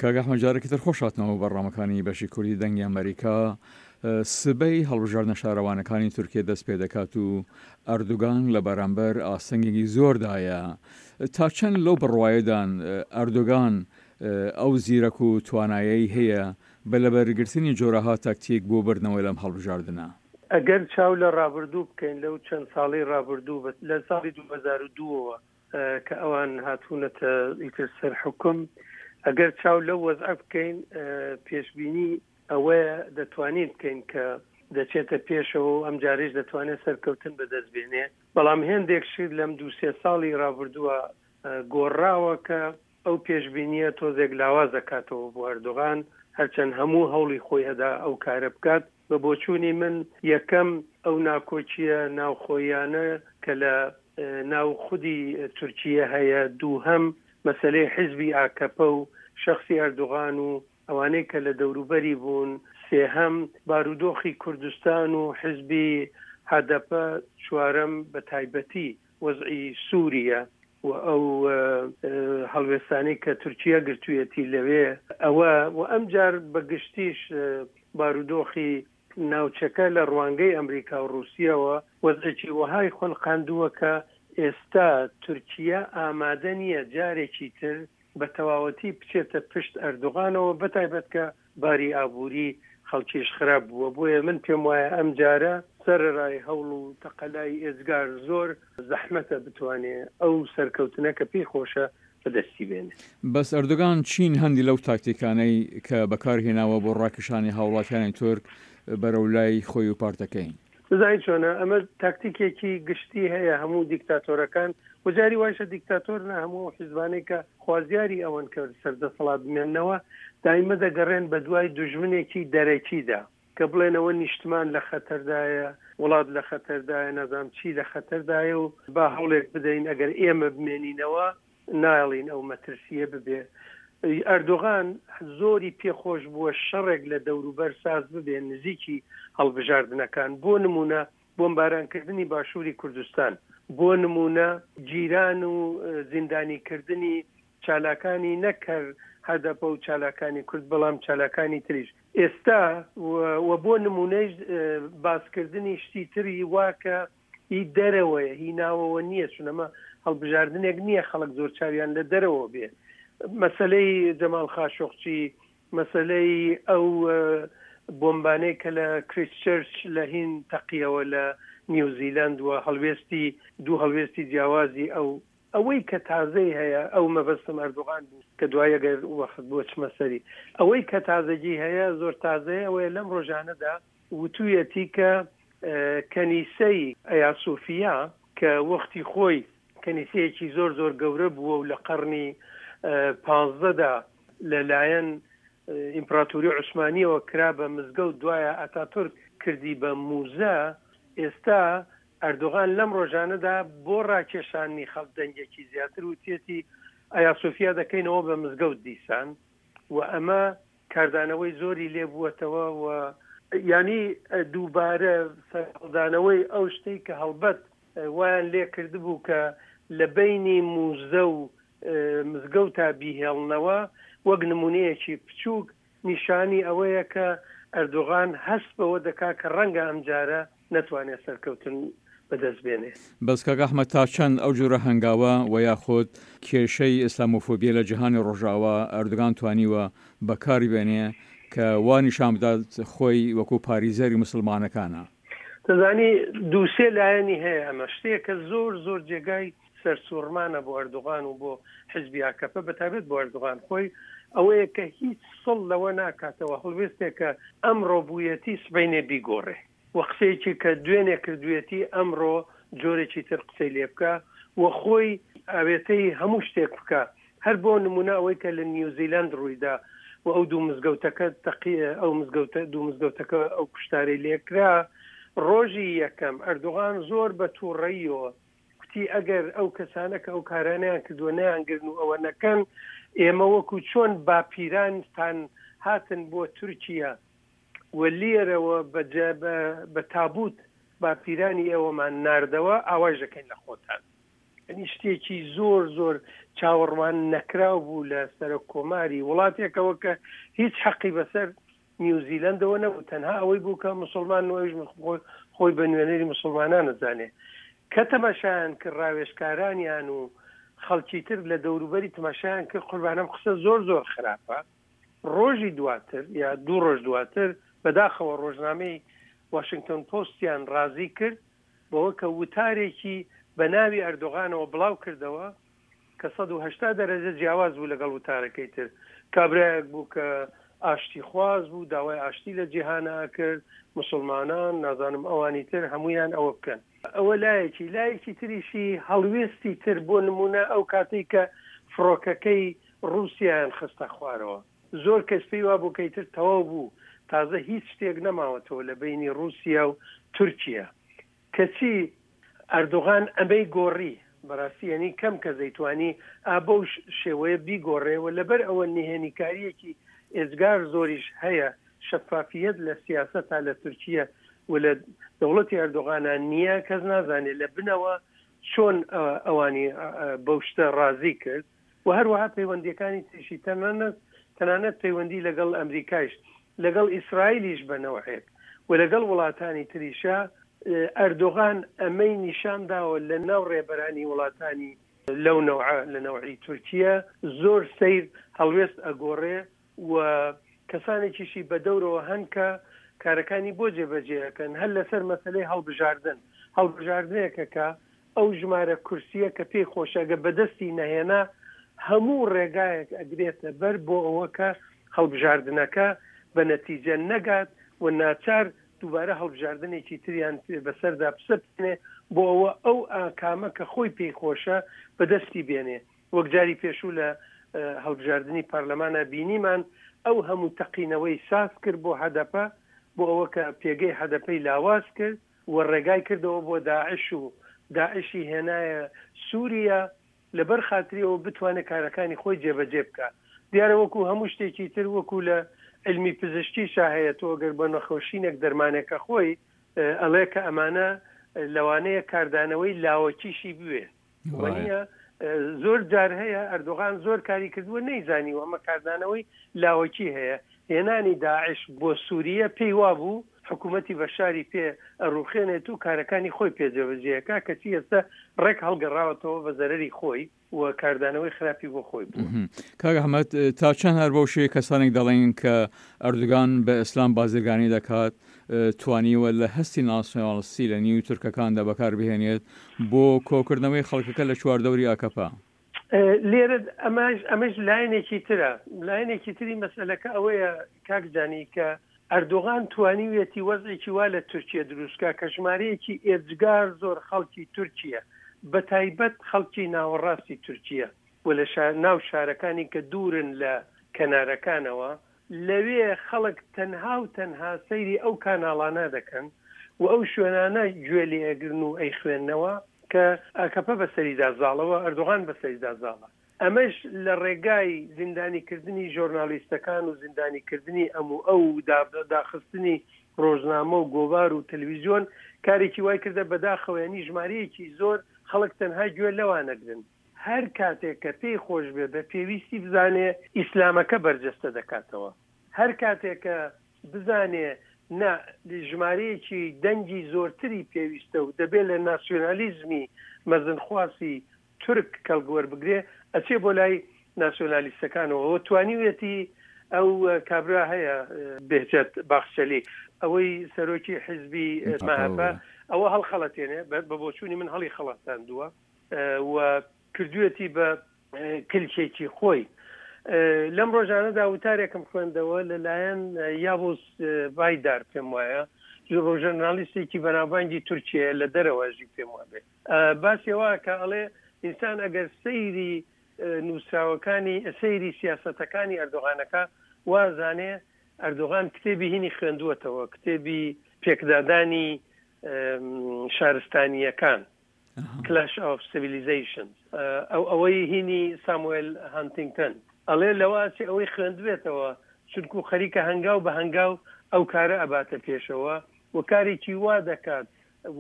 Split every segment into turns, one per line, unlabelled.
کاک ئەحمەد جارێکی تر خۆش هاتنەوە بۆ بەرنامەکانی بەشی کوردی دەنگی ئەمەریکا. سبەی هەڵبژاردنە شارەوانەکانی تورکیە دەست پێ دەکات و ئەردوگان لە بەرامبەر ئاستەنگێکی زۆردایە. تا چەند لەو بڕوایەدان ئەردوگان ئەو زیرەک و توانایەی هەیە بە لەبەرگرتنی جۆرەها تەکتیک بۆ بردنەوەی لەم هەڵبژاردنە؟
ئەگەر چاو لە ڕابردوو بکەین لەو چەند ساڵەی ڕابردوو لە ساڵی 2002 ەوە کە ئەوان هاتوونەتە ئیتر سەر حوکم، ئەگەر چاو لەو وەزعە بکەین پێشبینی ئەوەیە دەتوانین بکەین کە دەچێتە پێشەوە و ئەمجارەیش دەتوانێت سەرکەوتن بەدەست بێنێ، بەڵام هێندێک شت لەم دوو سێ ساڵی ڕابردووە گۆڕاوە کە ئەو پێشبینییە تۆزێک لاواز دەکاتەوە بۆ ئەردۆغان، هەرچەند هەموو هەوڵی خۆی ئەدا ئەو کارە بکات. بە بۆچوونی من یەکەم ئەو ناکۆکییە ناوخۆییانە کە لە ناو خودی تورکیە هەیە، دووهەم مەسەلەی حیزبی ئاکەپە و شەخسی ئەردوغان و ئەوانەی کە لە دەوروبەری بوون، سێهەم بارودۆخی کوردستان و حیزبی هەدەپە، چوارەم بە تایبەتی وەزعی سوریە و ئەو هەڵوێستانەی کە تورکیە گرتوویەتی لەوێ ئەوە و ئەمجار بە گشتیش بارودۆخی ناوچەکە لە ڕوانگەی ئەمریکا و ڕووسیەوە وەزعێکی وەهای خولقاندووە کە ئێستا تورکیە ئامادە نییە جارێکی تر بە تەواوەتی بچێتە پشت ئەردوغانەوە بەتایبەت کە باری ئابووری خەڵکیش خراپ بووە، بۆیە من پێم وایە ئەمجارە سەرەرای هەوڵ و تەقەلای ئێجگار زۆر زەحمەتە بتوانێ ئەو سەرکەوتنە کە پێی خۆشە بەدەستی بێنێ.
بەس ئەردۆگان چین هەندی لەو تاکتیکانەی کە بەکار هێناوە بۆ ڕاکێشانی هاوڵاتیانی تورک بەرەو لای خۆی و پارتەکەی؟
دەزانی چۆنە ئەمە تاکتیکێکی گشتی هەیە هەموو دیکتاتۆرەکان و جاری وایشە دیکتاتۆر نا هەموو ئەو حیزبانەی کە خوازیاری ئەوەن کە سەر دەسەڵات بمێننەوە دایمە دەگەڕێن بە دوای دوژمنێکی دەرەکیدا کە بڵێنەوە نیشتمان لە خەتەردایە وڵات لە خەتەردایە نازانم چی لە خەتەردایە و با هەوڵێک بدەین ئەگەر ئێمە بمێنینەوە نایەڵین ئەو مەترسییە ببێ. ئەردۆغان زۆری پێ خۆش بووە شەڕێک لە دەوروبەر ساز ببێ نزیکی هەڵبژاردنەکان، بۆ نموونە بۆمبارانکردنی باشووری کوردستان، بۆ نموونە گیران و زیندانیکردنی چالاکانی نەک هەر هەدەپە و چالاکانی کورد بەڵام چالاکانی تریش ئێستا و بۆ نموونەیش باسکردنی شتی تری وا کە هی دەرەوەیە هی ناوەوە نییە چون ئەمە هەڵبژاردنێک نییە خەڵک زۆر چاویان لە دەرەوە بێ مەسلەی جەماڵ خاشۆقچی مەسلەی ئەو بۆمبانەی کە لە کریسچرچ لە هین تەقیەوە لە نیوزیلند و هەڵوێستی دوو هەڵوێستی جیاوازی ئەو ئەوەی کە تازەی هەیە ئەو مەبەستم ئەردۆغان بوو کە دوای ئەگەر وەخت بۆ چمە سەری ئەوەی کە تازەگی هەیە زۆر تازەیە ئەوەیە لەم ڕۆژانەدا وتویەتی کە کەنیسەی ئەیاسۆفیا کە وەختی خۆی کەنیسەیەکی زۆر زۆر گەورە بووە و لە قەڕنی پانزدەدا لە لایەن ئیمپراتوری عوسمانیەوە کرا بە مزگەوت دوایە ئەتاتورک کردی بە موزە ئێستا ئەردۆغان لەم ڕۆژانەدا بۆ ڕاکێشانی خەڵک دەنگێکی زیاتر وتیەتی ئەیاسۆفیا دەکەینەوە بە مزگەوت دیسان و ئەمە کاردانەوەی زۆری لێ بووەتەوە و یانی دووبارە سەرهەڵدانەوەی ئەو شتەی کە هەڵبەت وایان لێ کردبوو کە لە بەینی موزە و مزگەوتا بیهێڵنەوە وەک نموونەیەکی بچووک نیشانی ئەوەیە کە ئەردۆغان هەست بەوە دەکا کە ڕەنگە ئەمجارە نەتوانێ سەرکەوتن بەدەست بێنێ.
بەس کاک ئەحمەد تا چەند ئەو جۆرە هەنگاوە وە یاخود کێشەی ئیسلامۆفۆبیە لە جیهانی ڕۆژئاوا ئەردۆگان توانیوە بەکاری بێنێ کە وا نیشان بدات خۆی وەکو پاریزەری موسڵمانەکانە؟
دەزانی دوو سێ لایەنی هەیە ئەمە شتێکە زۆر زۆر جێگای سەرسوڕمانە بۆ ئەردوغان و بۆ حزبی ئاکەپە بەتایبەت بۆ ئەردوغان خۆی ئەوەیە کە هیچ سڵ لەوە ناکاتەوە هەڵوێستێکە ئەمڕۆ بوویەتی سبەینێ بیگۆڕێ و قسەیەکی کە دوێنێ کردوویەتی ئەمڕۆ جۆرێکی تر قسەی لێ بکا و خۆی ئاوێتەی هەموو شتێک بکا هەر بۆ نمونە ئەوەی کە لە نیوزیلەند ڕوویدا و ئەو دوو مزگەوتەکە تەقی ئەو مزگەوتە دوو مزگەوتەکە ئەو کوشتارەی لێکرا ڕۆژی یەکەم ئەردوغان زۆر بە تووڕەییەوە کوتی ئەگەر ئەو کەسانە کە ئەو کارانەیان کردووە نەیانگرن و ئەوە نەکەن ئێمە وەکو چۆن باپیرانتان هاتن بۆ تورکیا و لێرەوە بە بە تابوت باپیرانی ئێوەمان ناردەوە ئاوایش دەکەین لە خۆتان. یانی شتێکی زۆر زۆر چاوەڕوان نەکراو بوو لە سەرۆک کۆماری وڵاتێکەوە کە هیچ حەقی بەسەر نیوزیلەندەوە نەبوو، تەنها ئەوەی بوو کە موسڵمان و ئەویش خۆی بە نوێنەری موسڵمانان ئەزانێ. کە تەماشایان کرد ڕاوێژکارانیان و خەڵکی تر لە دەوروبەری تەماشایان کرد قوربان ئەم قسە زۆر زۆر خراپە. ڕۆژی دواتر یا دوو ڕۆژ دواتر بەداخەوە ڕۆژنامەی واشنگتۆن پۆستیان ڕازی کرد بەوە کە وتارێکی بە ناوی ئەردۆغانەوە بڵاو کردەوە کە 180 دەرەجە جیاواز بوو لەگەڵ وتارەکەی تر. کابرایەک بوو کە ئاشتیخواز بوو، داوای ئاشتی لە جیهانا ئەکرد، موسڵمانان، نازانم ئەوانی تر هەموویان ئەوە بکەن. ئەوە لایەکی، لایەکی تریشی هەڵوێستی تر، بۆ نموونە ئەو کاتەی کە فڕۆکەکەی ڕووسیایان خستە خوارەوە، زۆر کەس پێی وابوو کە ئیتر تەواو بوو، تازە هیچ شتێک نەماوەتەوە لە بەینی ڕووسیا و تورکیە. کەچی ئەردۆغان ئەمەی گۆڕی، بەڕاستی یەنی کەم کەس دەیتوانی ئا بەو شێوەیە بیگۆڕێ و لەبەر ئەوە نهێنیکارییەکی ئێجگار زۆریش هەیە، شەفافییەت لە سیاسەتا لە تورکیە و لە دەوڵەتی ئەردۆغانا نییە، کەس نازانێ لە بنەوە چۆن ئەوانی بەو شتە ڕازی کرد و هەروەها پەیوەندییەکانی تریشی تەنانەت تەنانەت پەیوەندی لەگەڵ ئەمریکایش لەگەڵ ئیسرائیلیش بە نەوعێک و لەگەڵ وڵاتانی تریشا ئەردۆغان ئەمەی نیشان داوە لە ناو ڕێبەرانی وڵاتانی لەو نەوعە لە نەوعی تورکیە زۆر سەیر هەڵوێست ئەگۆڕێ و کەسانێکیشی بە دەورەوە هەن کە کارەکانی بۆ جێبەجێ ئەکەن هەر لەسەر مەسەلەی هەڵبژاردن هەڵبژاردنێکە کە ئەو ژمارە کورسیە کە پێی خۆشە گەر بەدەستی نەهێنا هەموو ڕێگایەک ئەگرێتە بەر بۆ ئەوە کە هەڵبژاردنەکە بە نەتیجە نەگات و ناچار دووبارە هەڵبژاردنێکی تریان بەسەردا بسەپێنێ بۆ ئەوە ئەو ئاکامە کە خۆی پێی خۆشە بەدەستی بێنێ وەک جاری پێشوو لە هەڵبژاردنی پارلەمانا بینیمان ئەو هەموو تەقینەوەی ساز کرد بۆ هەدەپە بۆ ئەوە کە پێگەی هەدەپەی لاواز کرد و ڕێگای کردەوە بۆ داعش و داعشی هێنایە سوریە لەبەر خاتری ئەوە بتوانێت کارەکانی خۆی جێبەجێ بکا. دیارە وەکو هەموو شتێکی تر وەکو لە عیلمی پزیشکیشا هەیە تۆ گەر بە نەخۆشینێک دەرمانێک ئەخۆی ئەڵێ کە ئەمانە لەوانەیە کاردانەوەی لاوەکیشی بوێ. وەنیە زۆر جار هەیە ئەردۆغان زۆر کاری کردووە نەیزانیوە ئەمە کاردانەوەی لاوەکی هەیە هێنانی داعش بۆ سوریە پێی وابوو حکوومەتی بەشاری پێ ئەڕوخێنێت و کارەکانی خۆی پێ جێبەجێ کەچی ئێستا ڕێک هەڵگەڕاوەتەوە بە زەرەری خۆی و کاردانەوەی خراپی بۆ خۆی بووە.
کاک ئەحمەد تا چەند هەر بەو شێوەیە کەسانێک دەڵێن کە ئەردوگان بە ئیسلام بازرگانی دەکات توانیوە لە هەستی ناسیۆنالیستی لە نیو تورکەکاندا بەکار بهێنێت بۆ کۆکردنەوەی خەڵکەکە لە چواردەوری ئاکەپە.
لێرە ئەمەش ئەمەش لایەنێکی ترە لایەنێکی تری مەسەلەکە ئەوەیە کاک جانی کە ئەردۆغان توانیویەتی وەزعێکی وا لە تورکیە دروست کا کە ژمارەیەکی ئێجگار زۆر خەڵکی تورکیە بە تایبەت خەڵکی ناوەڕاستی تورکیە و لە ناو شارەکانی کە دوورن لە کەنارەکانەوە لەوێ خەڵک تەنها و تەنها سەیری ئەو کاناڵانە دەکەن و ئەو شوێنانە گوێ لێ ئەگرن و ئەیخوێننەوە کە ئاکەپە بەسەریدا زاڵە و ئەردۆغان بەسەریدا زاڵە. ئەمەش لە ڕێگای زیندانیکردنی ژۆرنالیستەکان و زیندانیکردنی ئەم و ئەو و داخستنی ڕۆژنامە و گۆڤار و تەلویزیۆن کارێکی وای کردە بەداخەوە یانی ژمارەیەکی زۆر خەڵک تەنها گوێ لەوان ئەگرن. هەر کاتێک کە پێی خۆش بێ بە پێویستی بزانێ ئیسلامەکە بەرجەستە دەکاتەوە. هەر کاتێک کە بزانێ نا ژمارەیەکی دەنگی زۆرتری پێویستە و دەبێ لە ناسیۆنالیزمی مەزنخواسی تورک کەڵک وەربگرێ ئەچێ بۆ لای ناسیۆنالیستەکانەوە و توانیویەتی ئەو کابرا هەیە بێهجەت باخچەلی ئەوەی سەرۆکی حیزبی مەهەپە ئەوە هەڵخەڵەتێنێ بە بۆچوونی من هەڵی خەڵەتاندووە و کردوێتی بە کلکێکی خۆی. لەم ڕۆژانەدا وتارێکم خوێندەوە لەلایەن یاڤوز بایدار پێم وایە ڕۆژنالیستێکی بەناوبانگی تورکیە لە دەرەوە ژی پێم وابێ باسی ئەوە کە ئەڵێ ئینسان ئەگەر سەیری نووسراوەکانی سەیری سیاسەتەکانی ئەردۆغانەکە وازانێ ئەردۆغان کتێبی هینی خوێندووەتەوە کتێبی پێکدادانی شارستانییەکان Clash of Civilizations ئەو ئەوەی هینی ساموێل هانتینگتن ئەڵێ لەوە ئەچێ ئەوەی خوێندبێتەوە چونکو خەریکە هەنگاو بە هەنگاو ئەو کارە ئەباتە پێشەوە و کارێکی وا دەکات.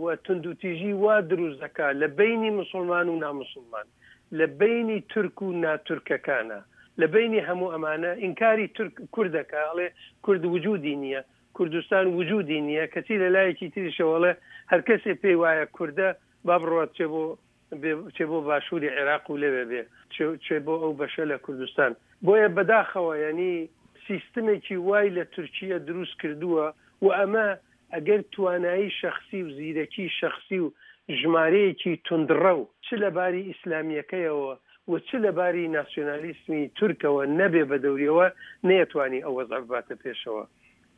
و توندوتیژی وا دروست دەکا لە بەینی موسوڵمان و ناموسوڵمان، لە بەینی تورک و ناتورکەکانا، لە بەینی هەموو ئەمانە ئینکاری تورک کورد دەکا ئەڵێ کورد وجودی نییە، کوردستان وجودی نییە، کەچی لە لایەکی تریشەوە ئەڵێ هەرکەسێ پێی وایە کوردە با بڕوات بچێ بۆ بچێ بۆ باشووری عێراق و لەوێ بێ، بچێ بۆ ئەو بەشە لە کوردستان. بۆیە بەداخەوە یانی سیستمێکی وای لە تورکیە دروست کردووە و ئەمە ئەگەر توانایی شەخسی و زیرەکی شەخسی و ژمارەیەکی توندڕەو چ لە باری ئیسلامییەکەیەوە و چ لە باری ناسیۆنالیسمی تورکەوە نەبێ بە دەوریەوە نەیەتوانی ئەو وەزعە بباتە پێشەوە.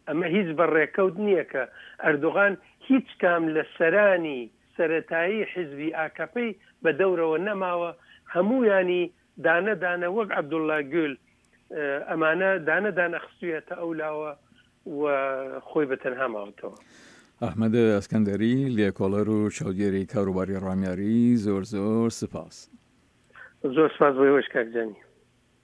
ئەمە هیچ بە ڕێکەوت نییە کە ئەردۆغان هیچ کام لە سەرانی سەرەتایی حیزبی ئاکەپەی بە دەورەوە نەماوە، هەموویانی دانە دانە وەک عەبدوڵلا گول ئەمانە دانە دانە خستویەتە ئەو لاوە و خۆی بە تەنها ماوەتەوە.
ئەحمەد ئەسکەندەری، لێکۆڵەر و چاودێری کاروباری ڕامیاری، زۆر زۆر سپاس.
زۆر سپاس بۆ ئێوەش کاک جانی.